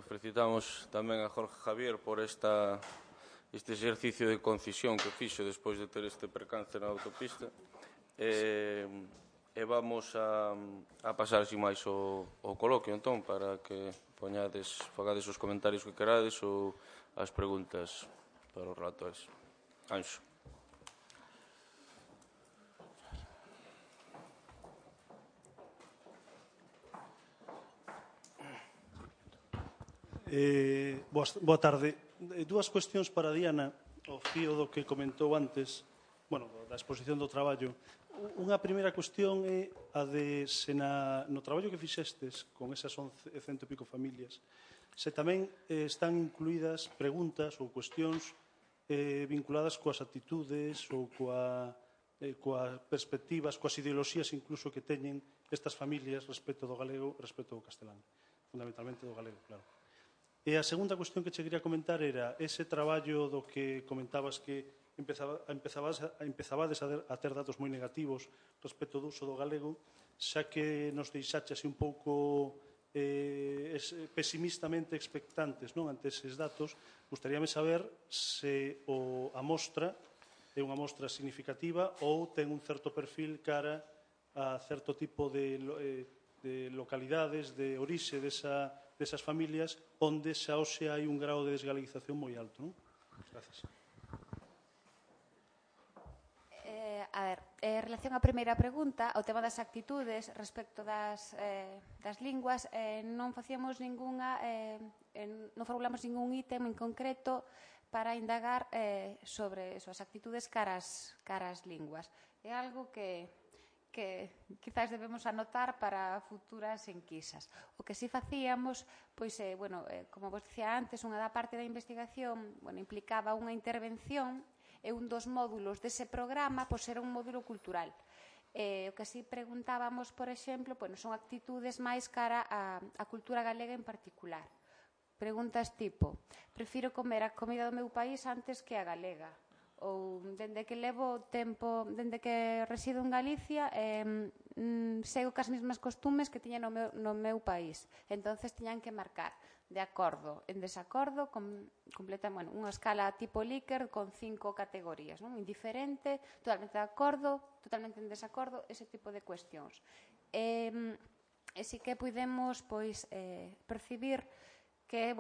felicitamos tamén a Jorge Javier por este exercicio de concisión que fixo despois de ter este percance na autopista. E vamos a pasar sin máis o coloquio, entón, para que fagades os comentarios que querades ou as preguntas para os relatores. Anxo. Boa tarde. Dúas cuestións para Diana, ao fío do que comentou antes, da exposición do traballo. Unha primeira cuestión é a de se no traballo que fixestes con esas 11 e cento e pico familias, se tamén están incluídas preguntas ou cuestións vinculadas coas actitudes ou coas perspectivas, coas ideoloxías incluso que teñen estas familias respecto do galego, respecto do castelán, fundamentalmente do galego, claro. E a segunda cuestión que che quería comentar era ese traballo do que comentabas que empezabades a ter datos moi negativos respecto do uso do galego, xa que nos deixaxe así un pouco pesimistamente expectantes ante eses datos. Gustaríame saber se a mostra é unha mostra significativa ou ten un certo perfil cara a certo tipo de localidades, de orixe desas familias onde xa hoxe hai un grau de desgaleguización moi alto. Gracias. En relación á primeira pregunta, o tema das actitudes respecto das linguas, non facíamos non formulamos ningún ítem en concreto para indagar sobre as actitudes caras linguas. É algo que quizás debemos anotar para futuras enquisas. O que si facíamos, pois, como vos dicía antes, unha da parte da investigación implicaba unha intervención e un dos módulos dese programa era un módulo cultural. O que si preguntábamos, por exemplo, son actitudes máis cara á cultura galega en particular. Preguntas tipo, prefiro comer a comida do meu país antes que a galega. Ou, dende que levo tempo, dende que resido en Galicia, sigo cas mesmas costumes que tiña no meu país. Entonces tiñan que marcar de acordo, en desacordo, unha escala tipo Likert con 5 categorías, indiferente, totalmente de acordo, totalmente en desacordo, ese tipo de cuestións. E si que pudemos percibir que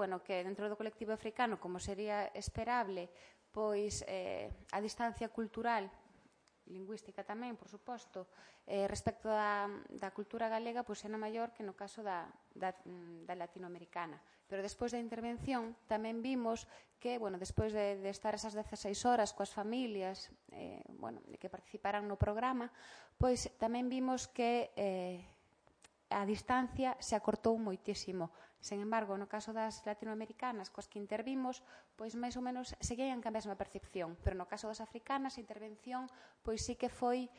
dentro do colectivo africano, como sería esperable, a distancia cultural, lingüística tamén, por suposto, respecto da cultura galega, era maior que no caso da latinoamericana. Pero despois da intervención tamén vimos que, despois de estar esas 16 horas coas familias que participaran no programa, tamén vimos que a distancia se acortou moitísimo. Sen embargo, no caso das latinoamericanas coas que intervimos, máis ou menos seguían ca mesma percepción, pero no caso das africanas a intervención sí que foi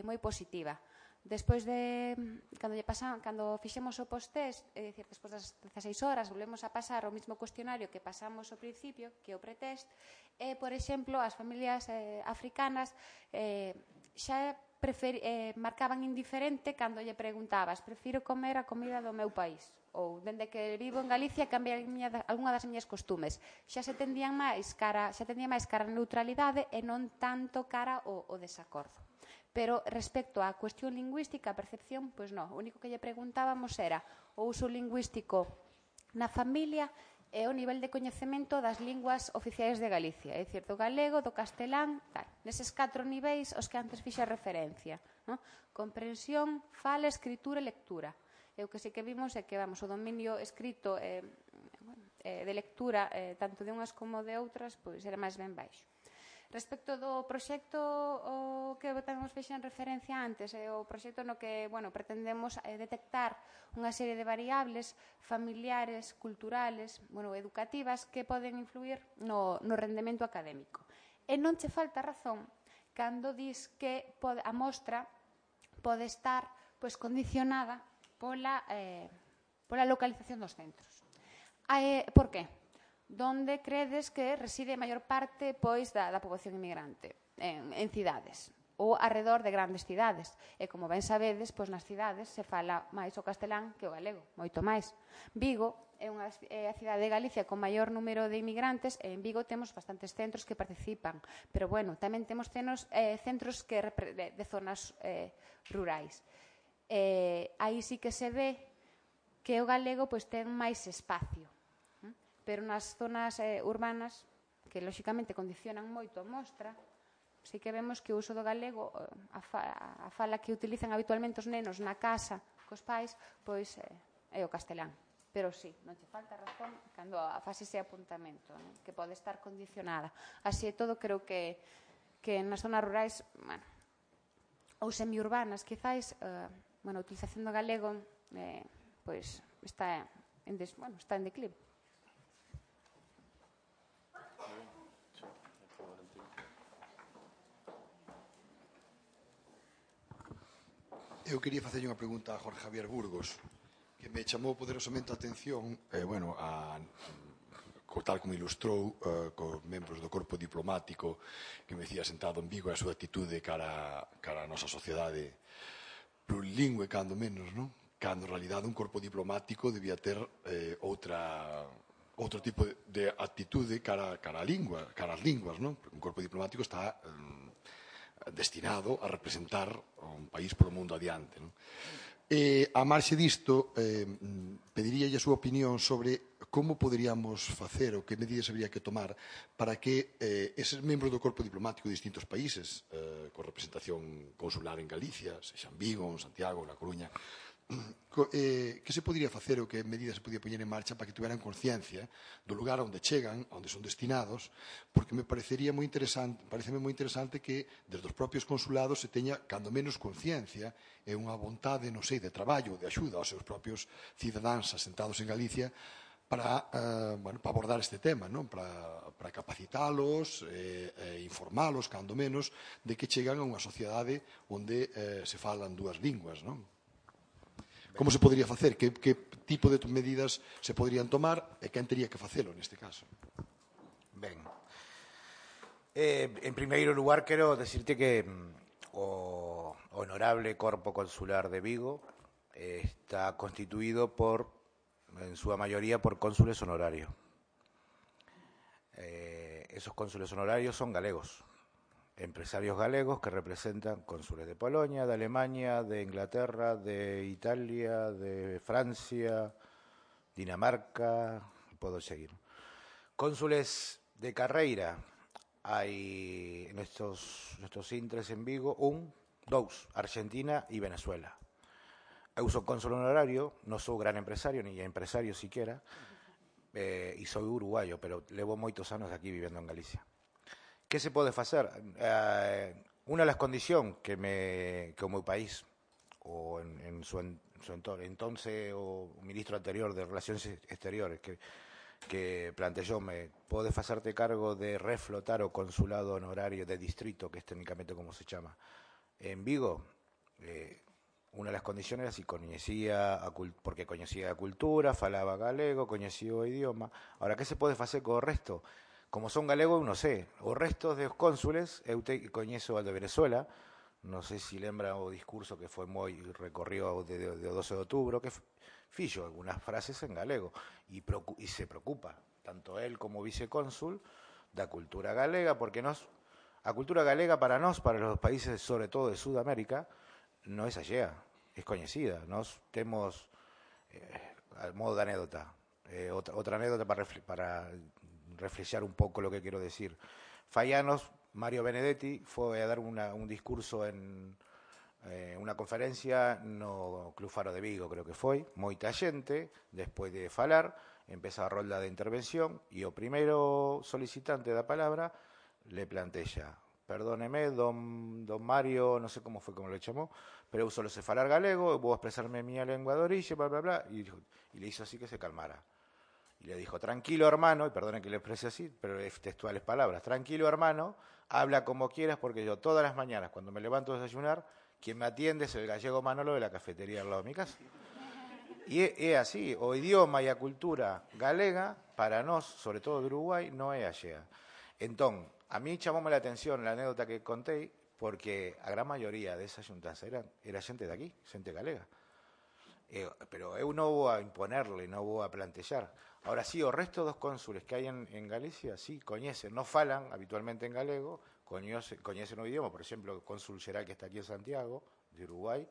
moi positiva. Despois de, cando fixemos o post-test, é dicir, despois das 16 horas, volvemos a pasar o mesmo cuestionario que pasamos ao principio, que é o pretest, e, por exemplo, as familias africanas xa marcaban indiferente cando lle preguntabas prefiro comer a comida do meu país ou dende que vivo en Galicia cambiar algunha das miñas costumes. Xa se tendían máis cara a neutralidade e non tanto cara ao desacordo. Pero respecto á cuestión lingüística, a percepción, pois non. O único que lle preguntábamos era o uso lingüístico na familia e o nivel de coñecemento das linguas oficiais de Galicia, é dicir, do galego, do castelán, tal. Neses 4 niveis os que antes fixe referencia. Comprensión, fala, escritura e lectura. E o que sí que vimos é que o dominio escrito de lectura, tanto de unhas como de outras, era máis ben baixo. Respecto do proxecto que tamén fixen referencia antes, o proxecto no que pretendemos detectar unha serie de variables familiares, culturales, educativas que poden influir no rendemento académico. E non che falta razón cando dis que a mostra pode estar condicionada pola localización dos centros. Por que? Donde credes que reside a maior parte da poboación inmigrante? En cidades ou arredor de grandes cidades. E como ben sabedes, nas cidades se fala máis o castelán que o galego, moito máis. Vigo é a cidade de Galicia con maior número de inmigrantes, e en Vigo temos bastantes centros que participan, pero bueno, tamén temos centros de zonas rurais. Aí sí que se ve que o galego ten máis espacio, pero nas zonas urbanas, que lóxicamente condicionan moito a mostra, sí que vemos que o uso do galego, a fala que utilizan habitualmente os nenos na casa cos pais, pois é o castelán. Pero sí, non che falta razón cando faz ese apuntamento, que pode estar condicionada. Así e todo, creo que nas zonas rurais, ou semiurbanas, quizáis, a utilización do galego está en declive. Eu quería facerlle unha pregunta a Jorge Javier Burgos, que me chamou poderosamente a atención, tal como ilustrou, cos membros do corpo diplomático que me decía sentado en Vigo, a súa actitude cara a nosa sociedade plurilingüe, cando menos, non? Cando en realidade un corpo diplomático debía ter outro tipo de actitude cara a lingua, cara ás linguas, non? Un corpo diplomático está destinado a representar un país polo mundo adiante, non? A marxe disto, pediríalle a súa opinión sobre como poderíamos facer ou que medidas habría que tomar para que eses membros do corpo diplomático de distintos países, con representación consular en Galicia, sexa en Vigo, en Santiago, na Coruña, que se podría facer ou que medidas se podía poñer en marcha para que tuveran conciencia do lugar onde chegan, onde son destinados, porque me parecería moi interesante que desde os propios consulados se teña cando menos conciencia e unha vontade, non sei, de traballo, de axuda aos seus propios cidadáns asentados en Galicia para abordar este tema, non? Para capacitalos e informalos, cando menos, de que chegan a unha sociedade onde se falan dúas linguas, non? Como se podría facer? Que tipo de medidas se poderían tomar e quen tería que facelo neste caso? Ben, en primeiro lugar quero decirte que o honorable Corpo Consular de Vigo está constituído en súa maioría por cónsules honorarios. Esos cónsules honorarios son galegos, empresarios galegos que representan cónsules de Polonia, de Alemania, de Inglaterra, de Italia, de Francia, Dinamarca, podo seguir. Cónsules de carreira, hai nestos intres en Vigo, dous, Argentina e Venezuela. Eu sou cónsul honorario, non sou gran empresario, ni empresario siquiera, e sou uruguayo, pero levo moitos anos aquí vivendo en Galicia. Que se pode facer? Unha das condicións que o meu país, ou en su entonces o ministro anterior de Relacións Exteriores, que plantexoume, pode facerte cargo de reflotar o consulado honorario de distrito, que é técnicamente como se chama, en Vigo. Unha das condicións era si porque coñecía a cultura, falaba galego, coñecía o idioma. Ahora, que se pode facer co resto? Como son galego, eu non sei. Os restos dos cónsules, eu coñezo al de Venezuela, non sei se lembra o discurso que foi moi recorrido de 12 de outubro, que fixo algunhas frases en galego, e se preocupa, tanto él como vicecónsul, da cultura galega, porque a cultura galega para nós, para os países, sobre todo de Sudamérica, non é allea, é coñecida. Nós temos, al modo de anécdota, outra anécdota para reflexar un pouco lo que quero decir. Fai anos, Mario Benedetti foi a dar un discurso en unha conferencia no Club Faro de Vigo, creo que foi. Moita xente, despois de falar, empeza a rolda de intervención e o primeiro solicitante da palabra le plantexa: perdóneme, don Mario, non sei como foi como le chamou, pero eu solo sei falar galego, eu vou expresarme en miña lengua de orixe, bla, bla, bla, e le hizo así que se calmara. Y le dijo: tranquilo hermano, y perdone que le exprese así, pero es textuales palabras, tranquilo hermano, habla como quieras, porque yo todas las mañanas cuando me levanto a desayunar, quien me atiende es el gallego Manolo de la cafetería al lado de mi casa. Y é así, o idioma e a cultura galega, para nós, sobre todo de Uruguai, non é allea. Entón, a mí chamoume a atención a anécdota que contei, porque a gran maioría desa xuntanza era xente de aquí, xente galega. pero eu non vou a imponerle, non vou a plantellar. Ahora sí, o resto dos cónsules que hai en Galicia, sí, coñecen, non falan habitualmente en galego, coñecen o idioma, por exemplo, o cónsul xeral que está aquí en Santiago, de Uruguai,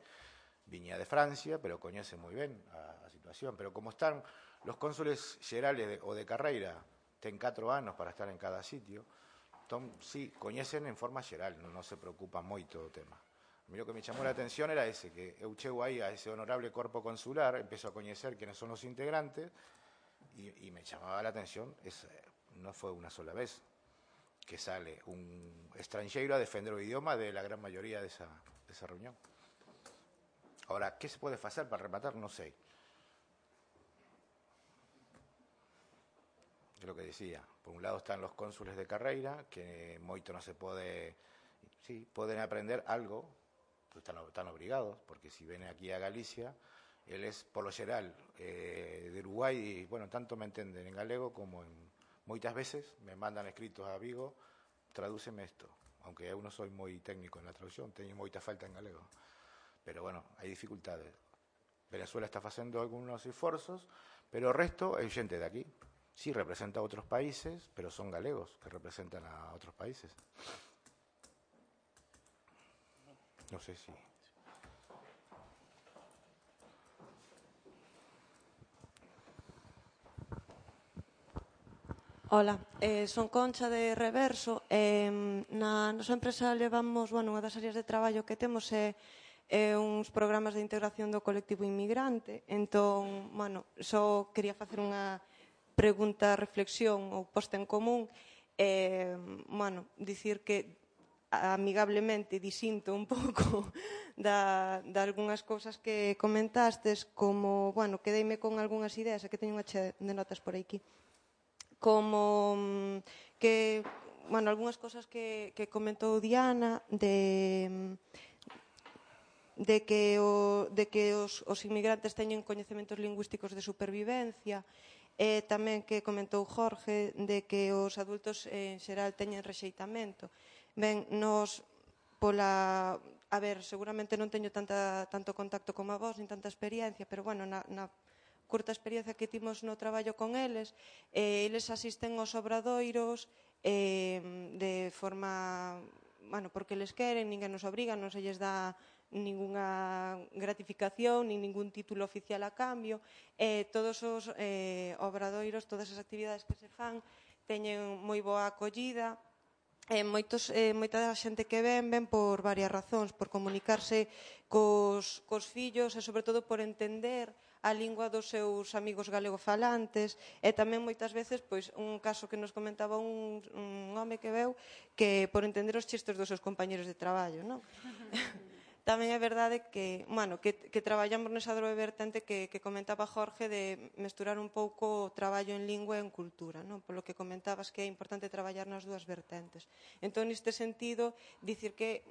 viña de Francia, pero coñece moi ben a situación. Pero como están los cónsules xerales o de carreira, ten 4 anos para estar en cada sitio, entón, sí, coñecen en forma xeral, non se preocupa moito o tema. A mí o que me chamou a atención era ese, que eu chego aí a ese honorable corpo consular, empezo a coñecer quienes son os integrantes, y me chamaba la atención, no fue una sola vez que sale un extranjero a defender o idioma de la gran mayoría de esa reunión. Ahora, ¿qué se puede hacer para rematar? No sé. Es lo que decía. Por un lado están los cónsules de carreira, que moito no se pode... Sí, poden aprender algo, pues están obligados, porque si ven aquí a Galicia, él es, por lo xeral, de Uruguai, y bueno, tanto me entenden en galego como en... Moitas veces me mandan escritos a Vigo, tradúceme esto, aunque eu non soy moi técnico en la traducción, teño moita falta en galego. Pero bueno, hai dificultades. Venezuela está facendo algunos esforzos, pero o resto é xente de aquí. Sí, representa a outros países, pero son galegos que representan a outros países. No sé si... Ola, son Concha de Reverso. Na nosa empresa levamos, unha das áreas de traballo que temos é uns programas de integración do colectivo inmigrante. Entón, só quería facer unha pregunta, reflexión ou posta en común. Dicir que amigablemente disinto un pouco de algunhas cousas que comentastes, como, quedeime con algunhas ideas, que teño unha chea de notas por aquí, como que, algunhas cousas que comentou Diana de que os inmigrantes teñen coñecementos lingüísticos de supervivencia, e tamén que comentou Jorge de que os adultos en xeral teñen rexeitamento. Ben, nos a ver, seguramente non teño tanto contacto como a vos, nin tanta experiencia, pero na curta experiencia que timos no traballo con eles, eles asisten aos obradoiros de forma, porque les queren, ninguén nos obriga, non se lles dá ninguna gratificación, nin ningún título oficial a cambio, todos os obradoiros, todas as actividades que se fan, teñen moi boa acollida. Moita xente que ven por varias razóns, por comunicarse cos fillos e, sobre todo, por entender a lingua dos seus amigos galegofalantes, e tamén moitas veces, un caso que nos comentaba un home que veu, que por entender os chistes dos seus compañeros de traballo, non? Tamén é verdade que traballamos nesa dobre vertente que comentaba Jorge, de mesturar un pouco o traballo en lingua e en cultura, non? Polo que comentabas que é importante traballar nas dúas vertentes. Entón, neste sentido, dicir que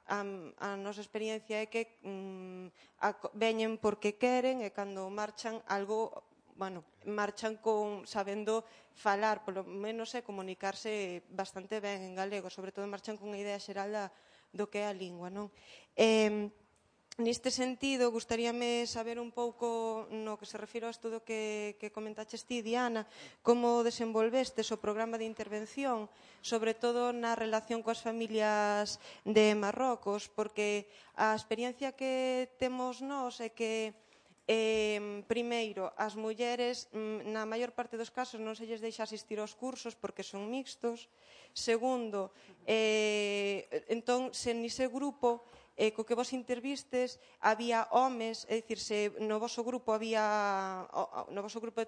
a nosa experiencia é que veñen porque queren, e cando marchan algo, marchan sabendo falar, polo menos, e comunicarse bastante ben en galego, sobre todo marchan con unha idea xeral do que é a lingua, non? Neste sentido, gustaríame saber un pouco, no que se refiro ao estudo que comentaches ti, Diana, como desenvolvestes o programa de intervención, sobre todo na relación coas familias de Marrocos, porque a experiencia que temos nós é que primeiro, as mulleres na maior parte dos casos non se lles deixa asistir aos cursos porque son mixtos. Segundo, entón, se nese grupo co que vos intervistes había homes, é dicir, se no voso grupo de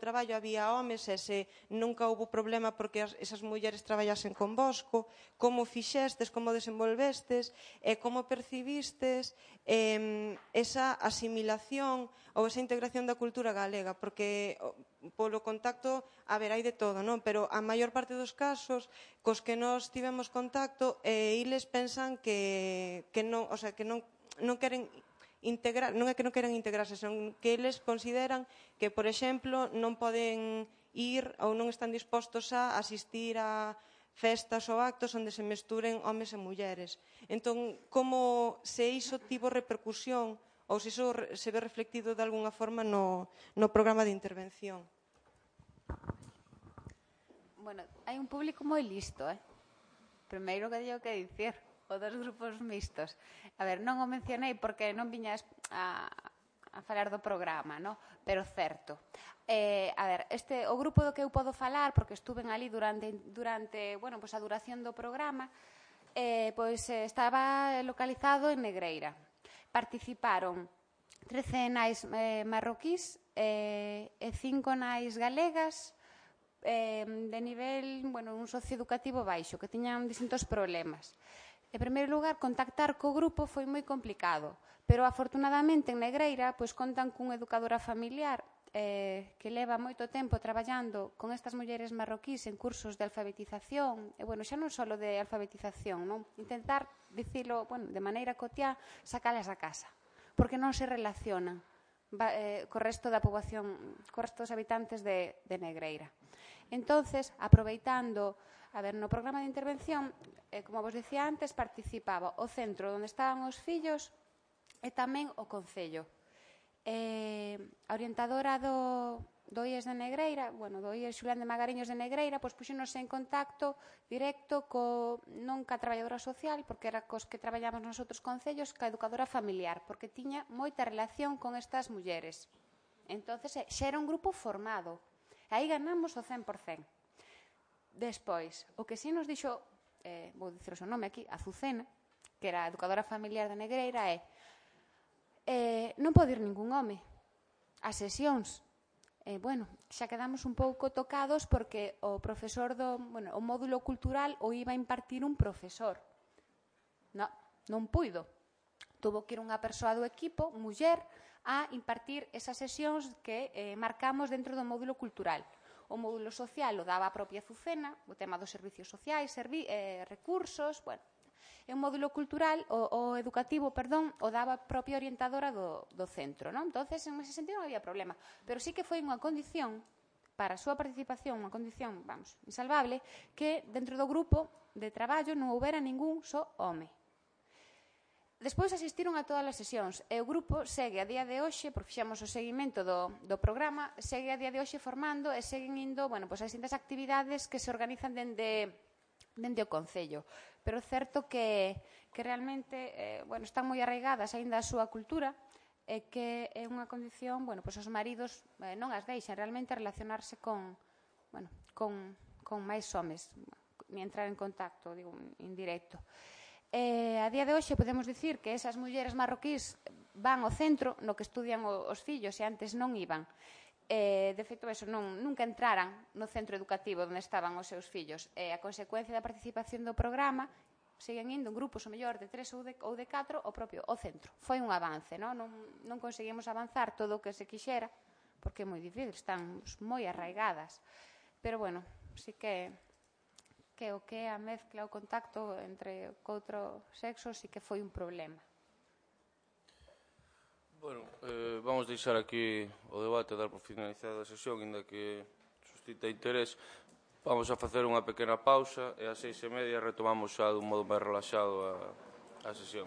traballo había homes, e se nunca houve problema porque esas mulleres traballasen con vosco, como fixestes, como desenvolvestes e como percibistes esa asimilación ou esa integración da cultura galega, porque polo contacto, a ver, hai de todo, non? Pero a maior parte dos casos cos que nós tivemos contacto, eles pensan que non, o sea, que non queren integrar, non é que non queran integrarse, senón que eles consideran que, por exemplo, non poden ir ou non están dispostos a asistir a festas ou actos onde se mesturen homes e mulleres. Entón, como se iso tivo repercusión ou se iso se ve reflectido de alguna forma no programa de intervención. Bueno, hai un público moi listo, Primeiro que teño que dicir, o dos grupos mixtos. A ver, non o mencionei porque non viñas a falar do programa, no? Pero certo. A ver, o grupo do que eu podo falar, porque estuven ali durante bueno, pues a duración do programa, estaba localizado en Negreira. Participaron 13 nais marroquís e 5 nais galegas de nivel, bueno, un socioeducativo baixo, que tiñan distintos problemas. En primeiro lugar, contactar co grupo foi moi complicado, pero afortunadamente en Negreira pois contan cunha educadora familiar que leva moito tempo traballando con estas mulleres marroquís en cursos de alfabetización, e, bueno, xa non só de alfabetización, non? Intentar dicilo, bueno, de maneira cotiá, sacalas a casa, porque non se relacionan co resto da poboación, co resto dos habitantes de Negreira. Entonces, aproveitando, a ver, no programa de intervención, como vos dicía antes, participaba o centro onde estaban os fillos e tamén o Concello. A orientadora do IES de Negreira, bueno, do IES Xulián de Magariños de Negreira, pois puxénos en contacto directo non ca traballadora social, porque era cos que traballamos nos outros concellos, ca educadora familiar, porque tiña moita relación con estas mulleres. Entonces, xa era un grupo formado. Aí ganamos o 100%. Despois, o que si nos dixo, vou dicir o seu nome aquí, Azucena, que era a educadora familiar de Negreira, non pode ir ningún home ás sesións. Bueno, xa quedamos un pouco tocados porque o profesor o módulo cultural o iba a impartir un profesor. Non puido. Tuvo que ir unha persoa do equipo, muller, a impartir esas sesións que marcamos dentro do módulo cultural. O módulo social o daba a propia Azucena, o tema dos servicios sociais, recursos, bueno. E o módulo cultural, o educativo, perdón, o daba a propia orientadora do centro, non? Entonces, en ese sentido non había problema. Pero sí que foi unha condición para a súa participación, unha condición, vamos, insalvable, que dentro do grupo de traballo non houbera ningún só home. Despois asistiron a todas as sesións e o grupo segue a día de hoxe, porque fixemos o seguimento do programa, segue a día de hoxe formando e seguen indo, bueno, pois as distintas actividades que se organizan dende o Concello. Pero é certo que realmente, bueno, están moi arraigadas aínda a súa cultura e que é unha condición, bueno, pois os maridos non as deixan realmente relacionarse con máis homes, ni entrar en contacto, digo, indirecto. A día de hoxe podemos dicir que esas mulleres marroquís van ao centro no que estudian os fillos e antes non iban. De feito, nunca entraran no centro educativo onde estaban os seus fillos. A consecuencia da participación do programa seguen indo en grupos o mellor de 3 ou de 4 ao centro. Foi un avance, non conseguimos avanzar todo o que se quixera porque é moi difícil, están moi arraigadas. Pero, bueno, sí que o que é a mezcla, o contacto entre outro sexo sí que foi un problema. Bueno, vamos deixar aquí o debate, dar por finalizada a sesión, inda que suscita interés. Vamos a facer unha pequena pausa e ás 6:30 retomamos xa dun modo máis relaxado a sesión.